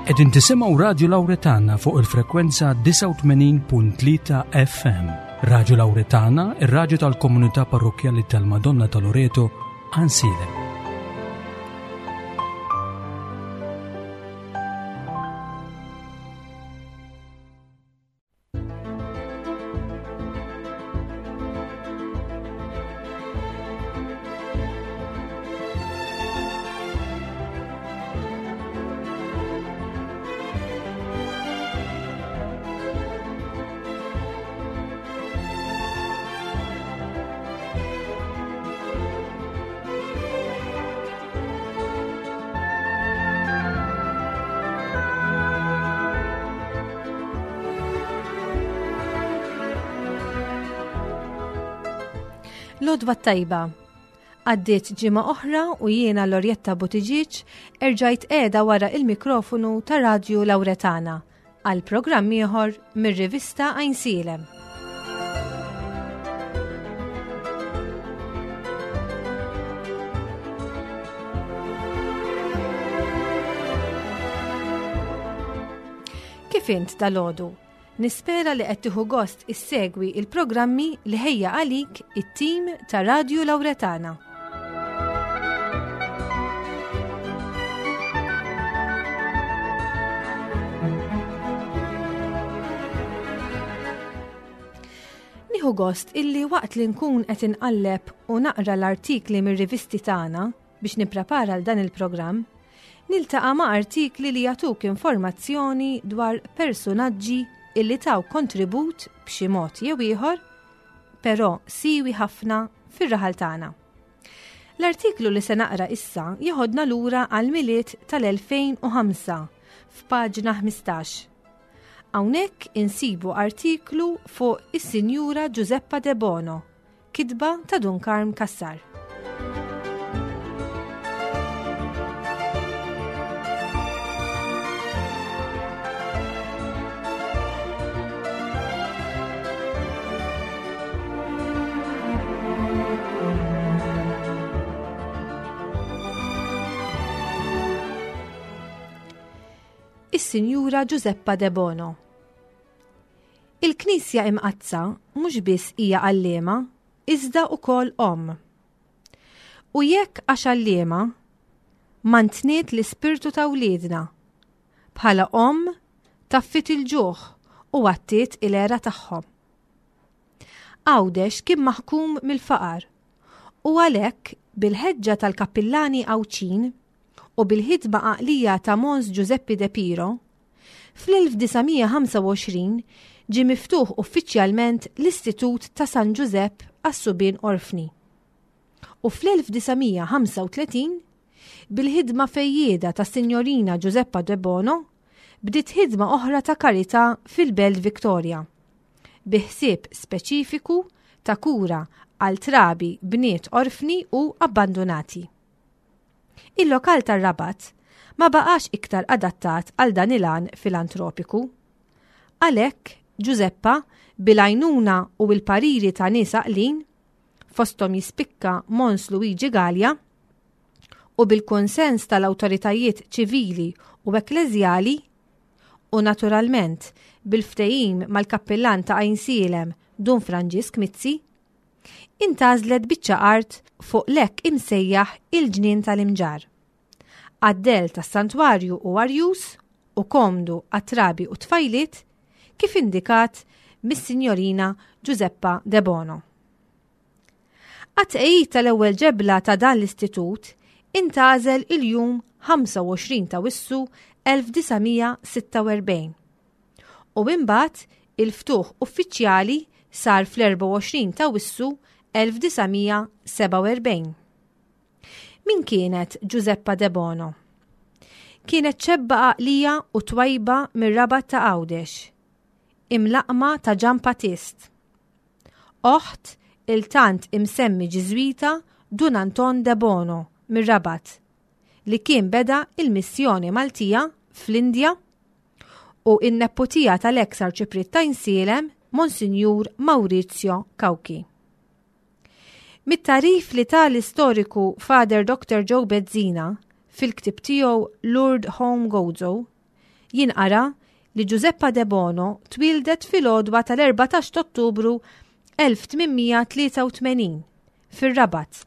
Qegħdin tisimgħu Radju Lawretana fuq il-frekwenza 89.3 FM. Radju Lawretana, ir-radju tal-komunità parrokkjali tal-Madonna ta' Loreto, Ansilem. Lodwa tajba. Għaddiet ġimgħa oħra u jiena Lorjetta Buttigieg erġajt qiegħda wara il-mikrofonu ta' Radju Lawretana għal programm ieħor mir-rivista Għajnsielem. Kif int dalodu? Nispera li qed tieħu gost issegwi il-programmi li ħejja għalik it-tim ta' Radju Lawretana. Nieħu gost illi waqt li nkun qed inqalleb u naqra l-artikli mir-rivisti tagħna biex nipprepara għal dan il-programm, niltaqa' ma' artikli li jagħtuk informazzjoni dwar persunaġġi illi taw kontribut b'xi mod jew ieħor, però siwi ħafna fir-raħal tagħna. L-artiklu li se naqra issa jeħodna lura għal Milied tal-2005 f'paġna 15. Hawnhekk insibu artiklu fuq is-Sinjura Giuseppa De Bono, kitba ta' Dun Karm Cassar. Is-Sinjura Giuseppa De Bono. Il-Knisja Imqaddsa mhux biss hija għalliema, iżda wkoll omm. U jekk għax għalliema, mantniet l-ispirtu ta' wliedna. Bħala omm, taffit il-ġuħ u għattiet il-għera tagħhom. Għawdex kien maħkum mill-faqar u għalhekk bil-ħeġġa tal-kappillani Għawdxin u bil-ħidma għaqlija ta' Mons Ġużeppi De Piro, fl-1925 ġie miftuħ uffiċjalment l-Istitut ta' San Ġużepp għas-Subien Orfni. U fl-1935, bil-ħidma fejjieda tas-Sinjorina Giuseppa Debono, bdiet ħidma oħra ta' karità fil-Belt Victoria, bi ħsieb speċifiku ta' kura għal trabi bniet orfni u abbandunati. Il-lokal tar-Rabat ma baqax iktar adattat għal dan il-għan filantropiku. Għalhekk, Ġużeppa, bil-għajnuna u l-pariri ta' nies għaqlin, fosthom jispikka Mons Luigi Galea, u bil-kunsens tal-awtoritajiet ċivili u ekkleżjali, u naturalment bil-ftehim mal-kappillan ta' Għajnsielem Dun Franġisk Mizzi, intgħażlet biċċa art fuq l-hekk imsejjaħ il-Ġnien tal-Imġarr. Għad-dell tas-santwarju hu arjuż u komdu għat-trabi u t-tfajliet kif indikat mis-Sinjorina Giuseppa Debono. Għat-tqegħid tal-ewwel ġebla ta' dan l-istitut intgħażel il-jum 25 ta' Wissu 1946 u imbagħad il-ftuħ uffiċjali sar fl-24 ta' Wissu 1947. Min kienet Giuseppa Debono? Kienet ċebba għaqlija u twajba mir-Rabat ta' Għawdex, imlaqqma ta' Ġan Patist. Oħt il-tant imsemmi Ġiżwita Dun Anton Debono mir-Rabat, li kien beda il-missjoni Maltija fl-Indja u in-nepputija tal-eks Arċipriet ta' Għajnsielem, Monsinjur Maurizio Cauchi. Mit-tagħrif li ta l-istoriku Father Dr. Joe Bezzina fil-ktieb tiegħu Lourdes Home Gozo, Jinqara li Giuseppa Debono twieldet fil-għodwa tal-14 t'Ottubru 1883 fir-Rabat.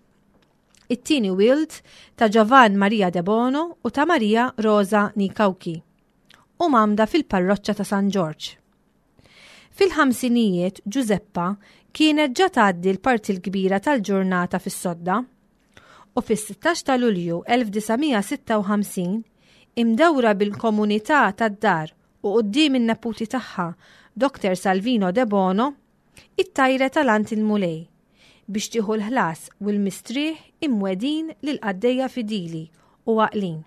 It-tieni wild ta' Giovan Maria Debono u ta' Maria Rosa Nikauki u mgħammda fil-parroċċa ta' San Ġorġ. Fil-ħamsinijiet Ġużeppa kienet ġa tgħaddi l-parti l-kbira tal-ġurnata fis-sodda u fis-16 ta' Lulju 1956 imdawra bil-komunità tad-dar u quddiem in-neputi tagħha Dr. Salvino Debono, ittajret għal għand il-Mulej biex tieħu l-ħlas u l-mistrieħ imwegħdin lill-qaddejja fidili u għaqlin.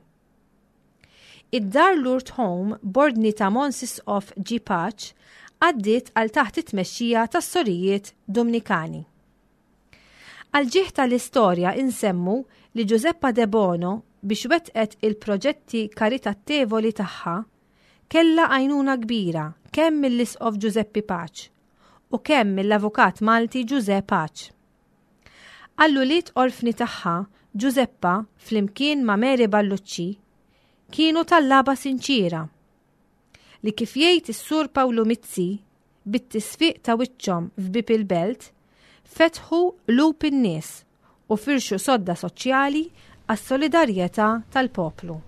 Id-Dar Lourdes Home b'ordni ta' Mons Isqof G. Pace għaddiet għal taħt it-tmexxija tas-Sorijiet Dumnikani. Għall-ġieħ tal-istorja insemmu li Giuseppa Debono biex wettqet il-proġetti karitattevoli tagħha kellha għajnuna kbira kemm mill-Isqof Ġużeppi Pace u kemm mill-avukat Malti Ġużè Pace. Għall-ulied orfni tagħha, Ġużeppa, flimkien ma' Mary Ballucci, kienu tallaba sinċiera, li kif jgħid is-Sur Pawlu Mizzi, bit-tisfiq ta' wiċċhom f'bieb il-belt, fetħu qlub in-nies u firxu sodda soċjali għas-solidarjetà tal-poplu.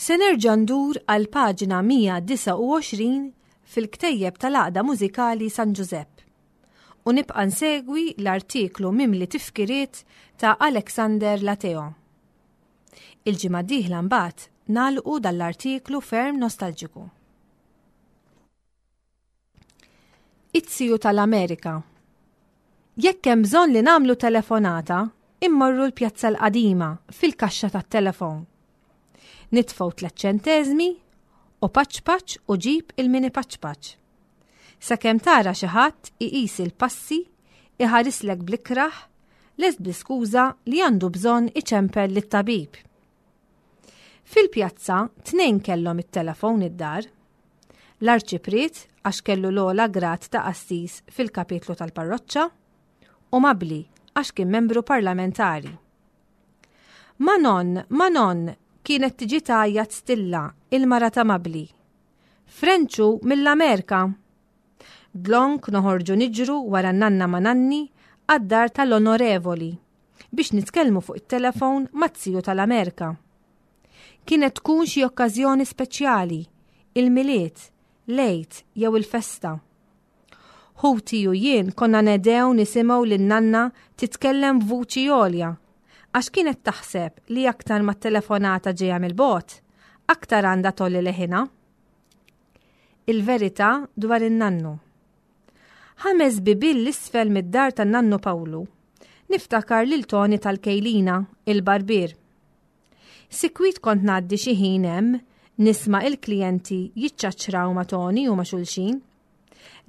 Se nerġa' ndur għal paġna 129 fil-ktejjeb tal-Għaqda Mużikali San Ġużepp u nibqa' nsegwi l-artiklu mimli tifkiriet ta' Alexander Lateo. Il-ġimgħa d-dieħla mbagħad nagħlqu dan l-artiklu ferm nostalġiku. It-ziju tal-Amerika. Jekk hemm bżonn li nagħmlu telefonata, immorru l-Pjazza l-Qadima fil-kaxxa tat-telefon. Nitfgħu tlet ċenteżmi u paċ paċ u ġib il-mini paċ paċ. Sakemm tara xi ħadd iqis il-passi, iħarislek bl-ikrah, lest bl-iskuża li għandu bżonn iċempel lit-tabib. Fil-pjazza tnejn kellhom it-telefon id-dar. L-arċipriet għax kellu l-ogħla grad ta' qassis fil-kapitlu tal-parroċċa u Mabli għax kien membru parlamentari. Manon, Manon, kienet tiġi tgħajjat Stilla, il-mara ta' Mabli. Frenċu mill-Amerika. Dlonk noħorġu niġru wara nanna ma' nanni għad-dar tal-onorevoli biex nitkellmu fuq it-telefon mat-ziju tal-Amerika. Kienet tkun xi okkażjoni speċjali, il-Milied, l-Għid jew il-festa. Ħuti u jien konna nedew nisimgħu lil nanna titkellem b'vuċi għolja, għax kienet taħseb li aktar ma t-telefonata ġejja mill-bogħod, aktar għandha tgħolli leħinha. Il-verità dwar in-nannu. Ħames bibien 'l isfel mid-dar tan-nannu Pawlu, niftakar lil Toni tal-Kejlina, il-barbier. Sikwit kont ngħaddi xi ħin hemm nisma' il-klijenti jiċċaċċraw ma' Toni u ma' xulxin.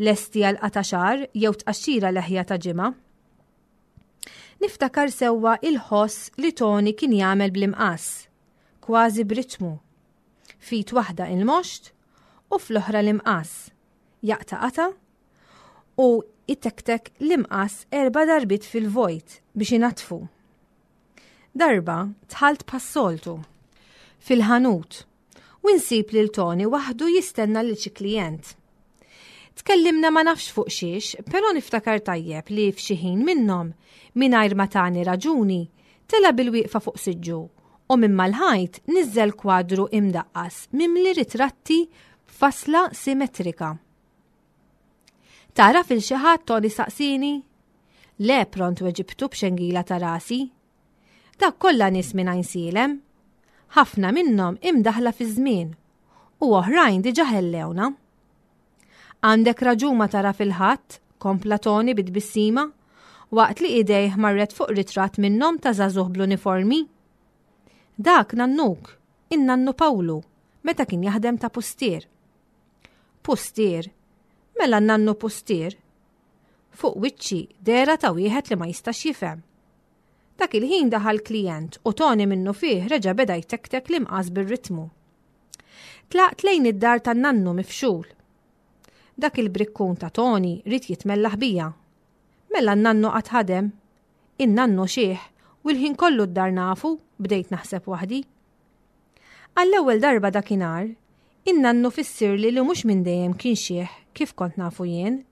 Lesti għal qata' xagħar jew tqaxxira leħja ta' ġimgħa. Niftakar sewwa il-ħoss li Toni kien jagħmel bl-imqass, kważi b'ritmu. F'id waħda il-moxt u fl-oħra l-imqass. Jaqta' qata' u itektek l-imqass erba' darbiet fil-vojt biex inaddfu. Darba dħalt bħas-soltu fil-ħanut u nsib lil Toni waħdu jistenna lil xi klijent. Tkellimna ma nafx fuq xiex, però niftakar tajjeb li f'xi ħin minnhom, mingħajr ma tani raġuni, tela' bilwieqfa fuq siġġu u minn mal-ħajt niżżel kwadru imdaqqas mimli ritratti b'fasla simetrika. Tagħraf 'il xi ħadd Toni saqsieni? Le pront weġibtu b'xengila ta' rasi. Dak kollha nies minn Għajnsielem. Ħafna minnhom imdaħħla fiż-żmien u oħrajn diġà ħellewna. Għandek raġun ma tara fil-ħadd, kompla Toni bi tbissima, waqt li idejh marret fuq ritratt minnhom ta' żagħżugħ bl-uniformi. Dak nannuk, in-nannu Pawlu, meta kien jaħdem ta' pustier. Pustier? Mela n-nannu pustier? Fuq wiċċi dehra ta' wieħed li ma jistax jifhem. Dak il-ħin daħal klijent u Toni minnufih reġa' beda jtektek l-imqas bir-ritmu. Tlaqt lejn id-dar tan-nannu mifxul. Dak il-brikkun ta' Toni ried jitmellaħ bija. Mela n-nannu qatt ħadem. In-nannu xiħ u l-ħin kollu d-dar nafu, bdejt naħseb waħdi. Għall-ewwel darba dakinhar, in-nannu fissirli li mhux minn dejjem kien xiħ kif kont nafu jien.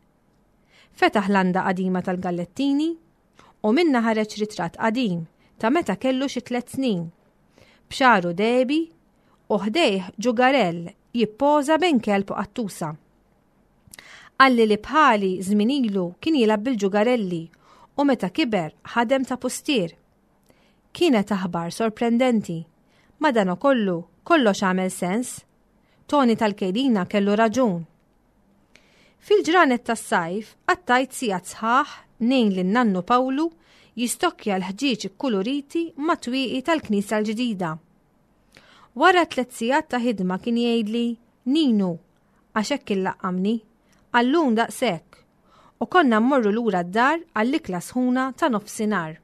Fetaħ landa qadima tal-Gallettini u minnha ħareġ ritratt qadim ta' meta kellu xi tliet snin. B'xagħru dehbi u ħdejh ġugarell jippoża bejn kelb u qattusa. Qalli li bħali żmien ilu kien jilgħab bil-ġugarelli u meta kiber ħadem ta' pustier. Kienet aħbar sorprendenti. Madanakollu, kollox għamel sens. Toni tal-Kejlina kellu raġun. Fil-ġranet tas-sajf qattajt sigħat sħaħ ngħin lin-nannu Pawlu jistokkja l-ħġieġ ikkuluriti mat-twieqi tal-knisja l-ġdida. Wara tliet sigħat ta' ħidma kien jgħidli, Ninu, għax hekk illaqqamni, għal-lum daqshekk, u konna mmorru lura d-dar għall-ikla sħuna ta' nofsinhar.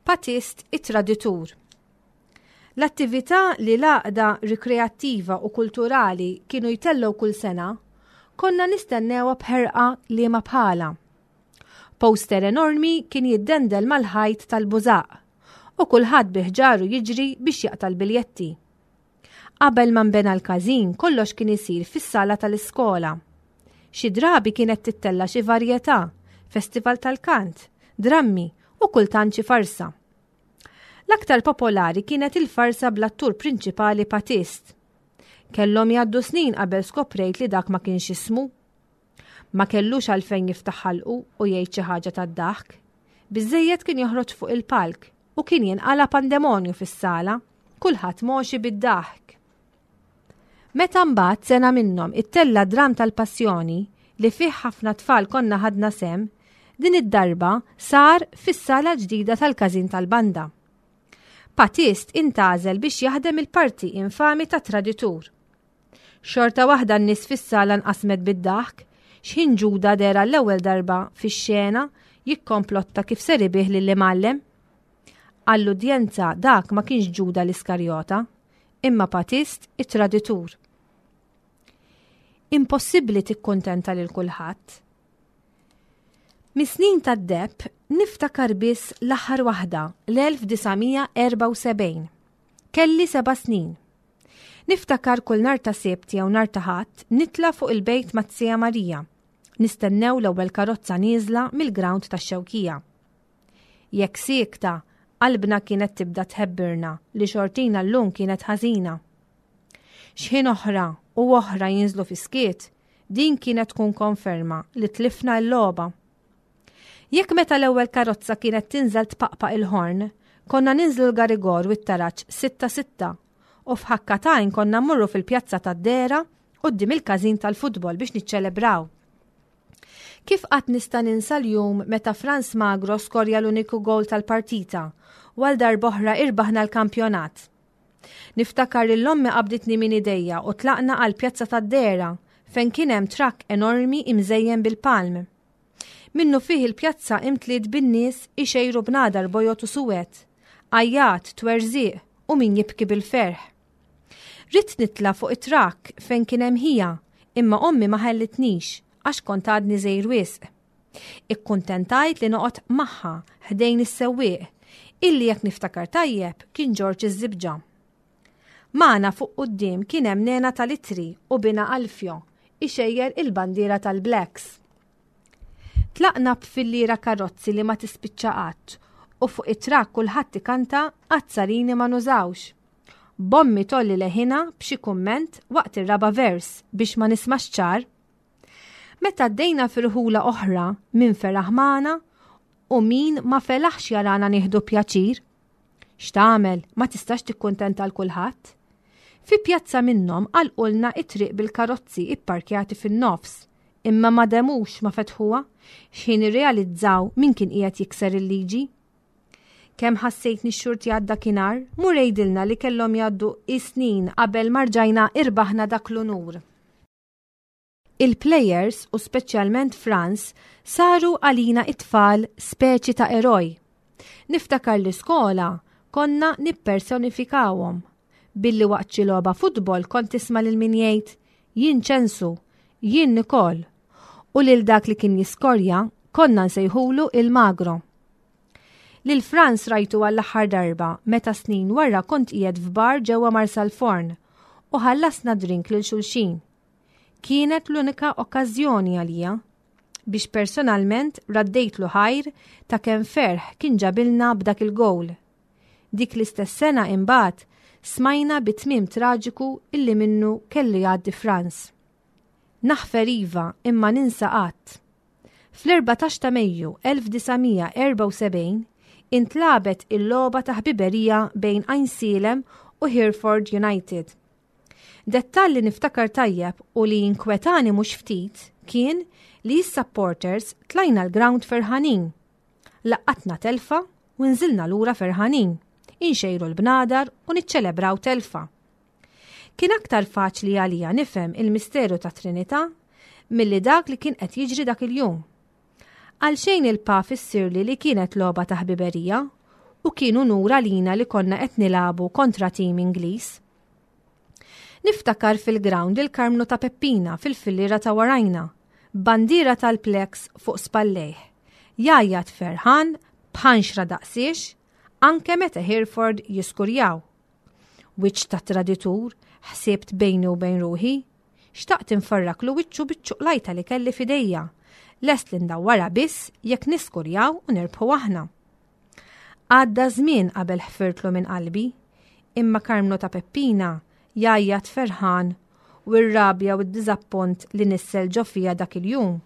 Patist it-traditur. L-attività li l-għaqda rikreattiva u kulturali kienu jtellgħu kull sena, konna nistennewha b'ħerqa liema bħalha. Poster enormi kien jiddendel mal-ħajt tal-bużaq u kulħadd bi ħġaru jiġri biex jaqta' l-biljetti. Qabel ma nbena l-każin kollox kien isir fis-sala tal-iskola. Xi drabi kienet tittella' xi varjetà, festival tal-kant, drammi u kultant xi farsa. L-aktar popolari kienet il-farsa bl-attur prinċipali Patist. Kellhom jgħaddu snin qabel skoprejt li dak ma kienx ismu. Ma kellux għalfejn jiftaħ ħalqu u jgħid xi ħaġa tad-daħk. Biżejjed kien joħroġ fuq il-palk u kien jinqala pandemonju fis-sala, kulħadd moxi bid-daħk. Meta mbagħad sena minnhom ittella' dramm tal-Passjoni li fih ħafna tfal konna ħadna sehem, din id-darba sar fis-sala ġdida tal-każin tal-banda. Patist intgħażel biex jaħdem il-parti infami ta' traditur. Xorta waħda n-nies fis-sala nqasmet bid-daħk x'ħin Ġuda deher għall-ewwel darba fix-xena jikkomplotta kif ser ibigħ lill-imgħallem. Għall-udjenza dak ma kienx Ġuda l-Iskarjota, imma Patist it-traditur. Impossibbli tikkuntenta lil kulħadd. Mis-snin tad-deheb niftakar biss l-aħħar waħda, l-1974. Kelli seba' snin. Niftakar kull nhar ta' Sibt jew nhar ta' Ħadd nitla' fuq il-bejt mat-Zija Marija. Nistennew l-ewwel karozza nieżla mill-grawnd tax-Xewkija. Jekk siekta, qalbna kienet tibda tħebbirna li xortina llum kienet ħażina. X'ħin oħra u oħra jinżlu fis-skiet, din kienet tkun konferma li tlifna l-logħba. Jekk meta l-ewwel karozza kienet tinżel tpaqpaq il-ħorn, konna ninżlu l-garigor u t-taraġ sitta sitta u f'ħakka t'għajn konna mmorru fil-pjazza tad-Dehra quddiem il-każin tal-futbol biex niċċelebraw. Kif qatt nista' ninsa l-jum meta Frans Magro skorja l-uniku gowl tal-partita u għal darb'oħra irbaħna l-kampjonat. Niftakar lil ommi qabditni minn idejja u tlaqna għall-pjazza tad-Dehra fejn kien hemm trakk enormi imżejjen bil-palm. Minnufih il-pjazza imtliet bin-nies ixejru bnadar bojod u suwed, għajjat, twerżiq u min jibki bil-ferħ. Ridt nitla' fuq it-trakk fejn kien hemm ħija, imma ommi ma ħallitnix għax kont għadni żgħir wisq. Ikkuntentajt li noqgħod magħha ħdejn is-sewwieq, illi jekk niftakar tajjeb kien Ġorġ iż-Żibġa. Magħna fuq quddiem kien hemm Nena tal-Ittri u binha Alfio ixejjer il-bandiera tal-Blacks. Tlaqna b'filliera karozzi li ma tispiċċa qatt u fuq it-trakk kulħadd ikanta Azzarini ma nużawx. B'ommi tgħolli leħinha b'xi kumment waqt ir-raba' vers biex ma nismax ċar. Meta għaddejna fi rħula oħra min feraħ magħna u min ma felaħx jarana nieħdu pjaċir. X'tagħmel, ma tistax tikkuntenta l kulħadd. Fi pjazza minnhom għalqulna it-triq bil-karozzi ipparkjati fin-nofs, imma ma demux ma fetħuha x'ħin irrealizzaw min kien qiegħed jikser il-liġi. Kemm ħassejtni xxurtjat dakinhar, mur għidilna li kellhom jgħaddu is-snin qabel ma rġajna irbaħna dak l-unur. Il-plejers u speċjalment Frans saru għalina it-tfal speċi ta' eroj. Niftakar l-iskola konna nippersonifikawhom billi waqt xi logħba futbol kont tisma' lil min jgħid jien Ċensu, jien Nikol u lil dak li kien jiskorja konna nsejħulu il-Magro. Lil Frans rajtu għall-aħħar darba meta snin wara kont qiegħed f'bar ġewwa Marsalforn u ħallasna drink lil xulxin. Kienet l-unika okkażjoni għalija biex personalment raddejtlu ħajr ta' kemm ferħ kien ġabilna b'dak il-gowl. Dik l-istess sena imbagħad smajna bi tmiem traġiku illi minnu kellu jgħaddi Frans. Naħfer iva imma ninsa qatt. Fl-14 ta' Mejju 1974 intlagħbet il-logħba ta' ħbiberija bejn Għajnsielem u Hereford United. Dettall li niftakar tajjeb u li inkwetani mhux ftit kien li s-supporters tlajna l-ground ferħanin. Laqqatna telfa u nżilna lura ferħanin, inxejru l-bnadar u niċċelebraw telfa. Kien aktar faċli għalija nifhem il-misteru tat-Trinità milli dak li kien qed jiġri dak il-jum. Għalxejn il-pa fissirli li kienet logħba ta' ħbiberija u kien unur għalina li konna qed nilagħbu kontra tim Ingliż. Niftakar fil-ground il-Karmnu ta' Peppina fil-filliera ta' warajna, b'bandiera tal-Plex fuq spallejh, jgħajjat ferħan b'ħanxra daqsiex anke meta Hereford jiskurjaw. Wiċċ ta' traditur, ħsibt bejni u bejn ruħi. Xtaqt infarraklu wiċċu biċ-ċuqlajta li kelli f'idejja. Lest li ndawwarha biss jekk niskurjaw u nirbħu aħna. Għadda żmien qabel ħfirtlu minn qalbi, imma Karmnu ta' Peppina jgħajjat ferħan u r-rabja u d-diżappunt li nissel ġo fija dak il-jum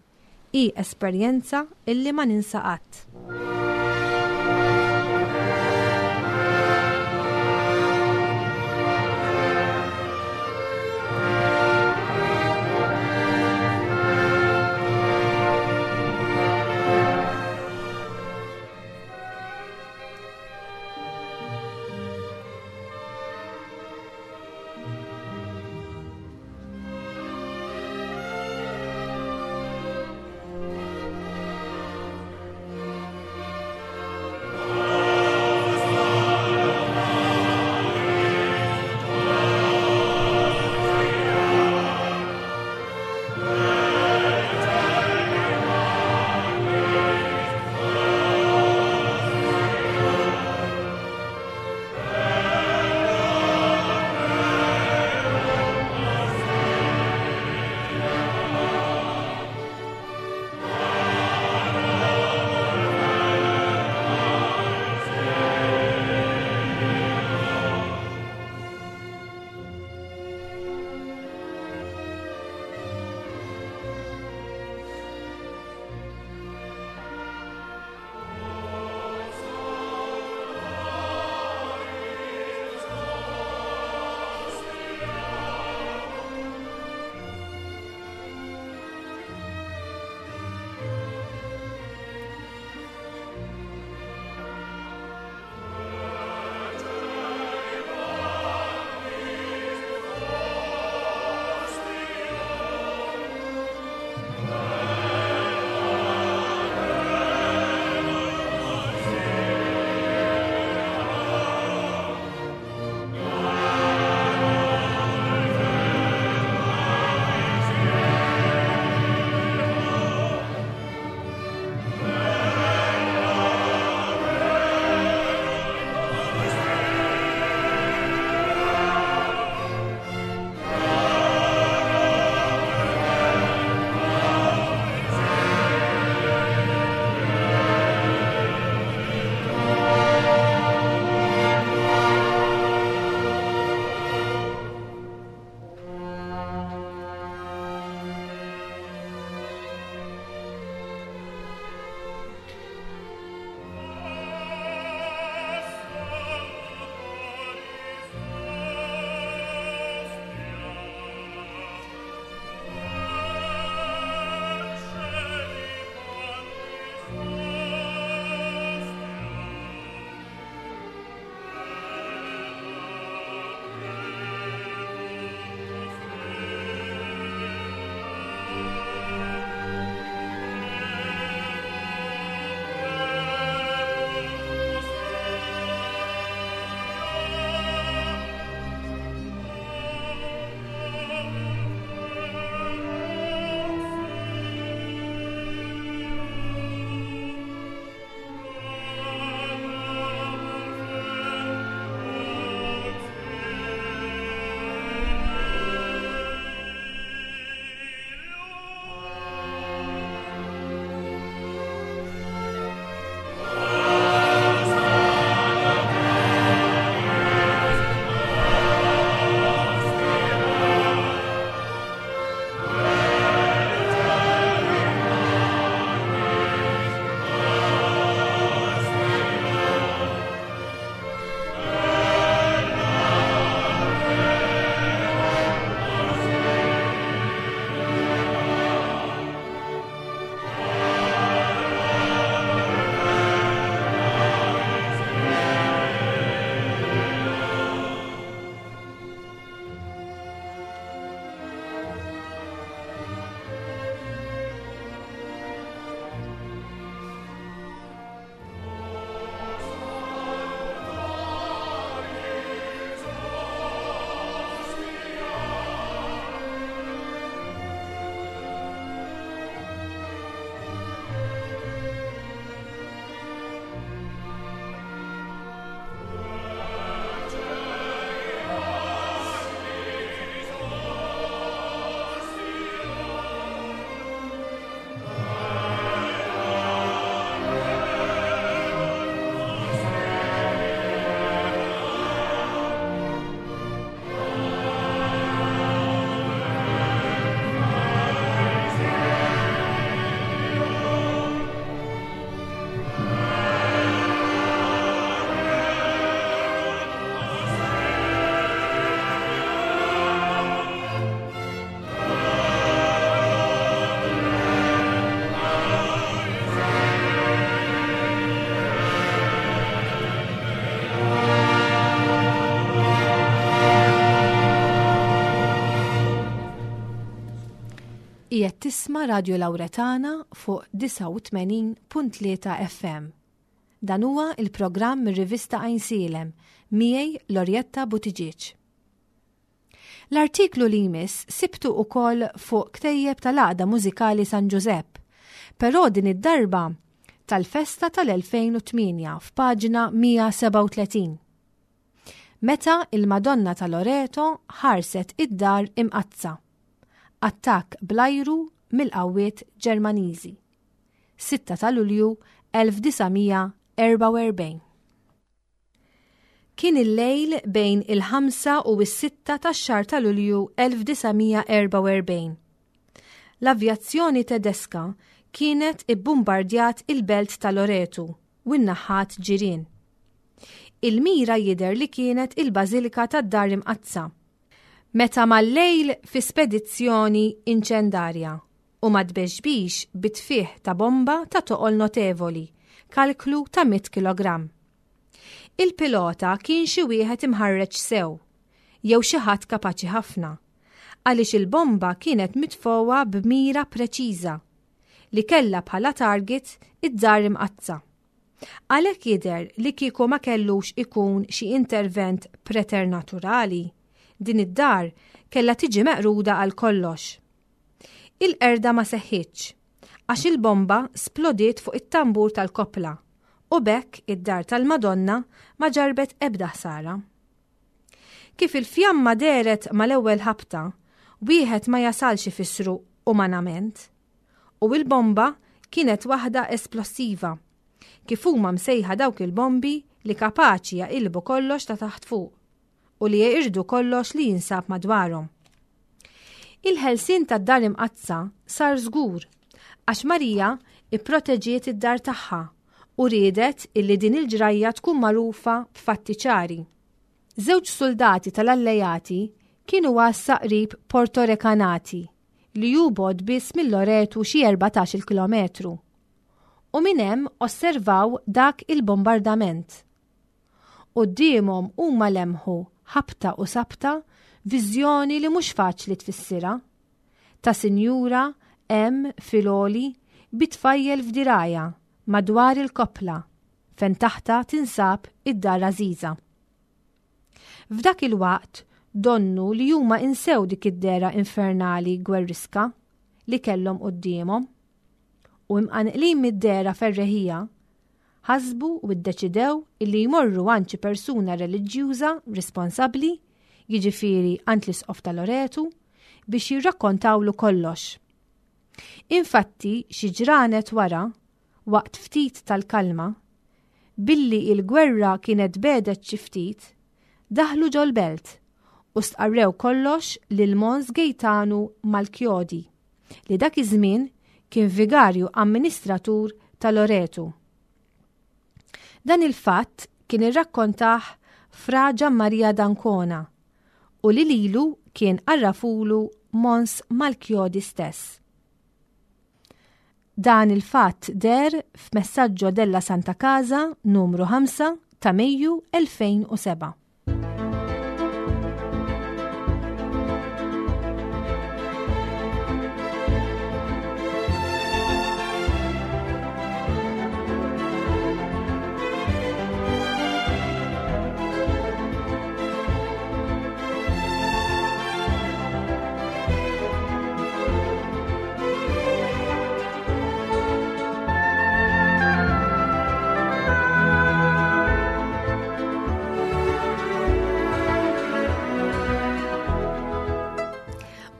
hi esperjenza illi ma ninsa qatt. Qiegħed tisma' Radju Lawretana fuq 89.3 FM. Dan huwa il-programm mir-rivista Għajnsielem miegħi Lorjetta Buttigieg. L-artiklu li jmiss sibtu ukoll fuq ktejjeb tal-Għaqda Mużikali San Ġużepp, però din id-darba tal-festa tal-2008 f'paġna 137. Meta il-Madonna ta' Loreto ħarset id-dar imqaddsa. Attakk bl-ajru mill-qawwiet Ġermaniżi. 6 ta' Lulju 1944. Kien il-lejl bejn il-5 u s-6 tax-xahar ta' Lulju 1944. L-avjazzjoni Tedeska kienet ibbumbardjat il-belt ta' Loretu u n-naħat ġirien. Il-mira jidher li kienet il-Bażilika tad-Dar Imqaddsa. Meta mal-lejl fi spedizzjoni inċendarja u ma tbexbix bi tfigħ ta' bomba ta' toqol notevoli, kalklu ta' mitt kilogramm. Il-pilota kien xi wieħed imħarreġ sew, jew xi ħadd kapaċi ħafna, għaliex il-bomba kienet mitfugħa b'mira preċiża, li kellha bħala target id-Dar Imqaddsa. Għalhekk jidher li kieku ma kellux ikun xi intervent preternaturali, din id-dar kellha tiġi meqruda għal kollox. Il-qerda ma seħħitx, għax il-bomba splodiet fuq it-tambur tal-koppla u b'hekk id-dar tal-Madonna ma ġarrbet ebda ħsara. Kif il-fjamma dehret mal-ewwel ħabta, wieħed ma jasalx ifissru umanament. U il-bomba kienet waħda esplossiva, kif huma msejħa dawk il-bombi li kapaċi jaqilbu kollox ta' taħt fuq. u li jeqirdu kollox li jinsab madwarhom. Il-ħelsien tad-Dar Imqaddsa sar żgur għax Marija ipproteġiet id-dar tagħha u riedet illi din il-ġrajja tkun magħrufa b'fatti ċari. Żewġ suldati tal-Allejati kienu għassa qrib Porto Recanati li hu bogħod biss minn Loretu xi 14-il kilometru. U minn hemm osservaw dak il-bombardament. Quddiemhom huma lemħu, ħabta u sabta, viżjoni li mhux faċli tfissirha. Ta' sinjura hemm fil-għoli bi tfajjel f'dirgħajha madwar il-koppla fejn taħtha tinsab id-dar għażiża. F'dak il-waqt donnu li huma insew dik id-dehra infernali gwerriska li kellhom quddiemhom u imqanqlin mid-dehra ferreħija Ħasbu u ddeċidew illi jmorru għand xi persuna reliġjuża responsabbli, jiġifieri għand l-Isqof ta' Loretu, biex jirrakkontawlu kollox. Infatti, xi ġranet wara, waqt ftit tal-kalma, billi il-gwerra kienet begħdet xi ftit, daħlu ġol-belt u stqarrew kollox lil Mons Gejtanu Malchiodi. li dak iż-żmien kien vigarju amministratur ta' Loretu. Dan il-fatt kien irrakkontah Fra Gianmaria d'Ancona u li lilu kien għarrafulu Mons Malchiodi stess. Dan il-fatt deher f'Messaggio della Santa Casa numru 5 ta' Mejju 2007.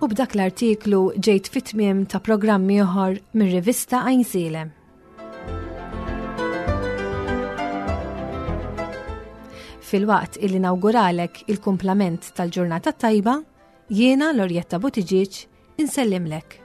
U b'dak l-artiklu ġejt fit-tmiem ta' programm ieħor mir-rivista Għajnsielem. Filwaqt illi nawguralek il-kumplament tal-ġurnata tajba, jiena Lorjetta Buttigieg insellimlek.